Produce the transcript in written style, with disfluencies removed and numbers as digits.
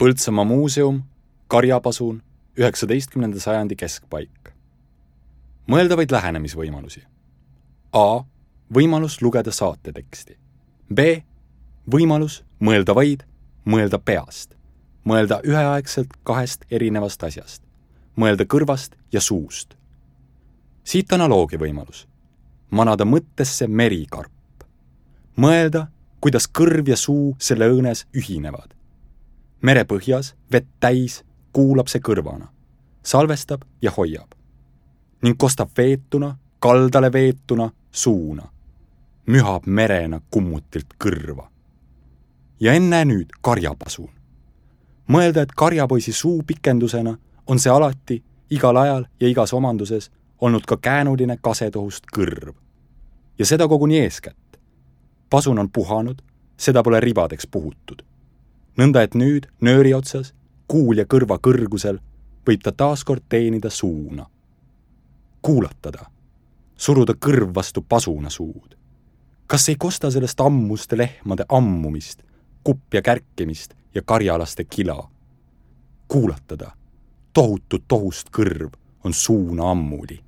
Põltsamaa muuseum, Karjapasun, 19. sajandi keskpaik. Mõeldavaid lähenemisvõimalusi. A. Võimalus lugeda saateteksti. B. Võimalus mõelda vaid, mõelda peast. Mõelda üheaegselt kahest erinevast asjast. Mõelda kõrvast ja suust. Siit analoogia võimalus. Manada mõttesse merikarp. Mõelda, kuidas kõrv ja suu selle õõnes ühinevad. Merepõhjas, vett täis, kuulab see kõrvana. Salvestab ja hoiab. Ning kostab veetuna, kaldale veetuna, suuna. Mühab merena kummutilt kõrva. Ja enne nüüd Karjapasun. Mõelda, et karjapoisi suu pikendusena on see alati, igal ajal ja igas omanduses olnud ka käänuline kasetohust kõrv. Ja seda koguni eeskätt. Pasun on puhanud, seda pole ribadeks puhutud. Nõnda, et nüüd nööri otsas, kuul ja kõrva kõrgusel võib ta taaskord teenida suuna. Kuulatada, suruda kõrv vastu pasuna suud. Kas ei kosta sellest ammuste lehmade ammumist, kuppja kärkimist ja karjalaste kila? Kuulatada, tohutut tohust kõrv on suuna ammuli.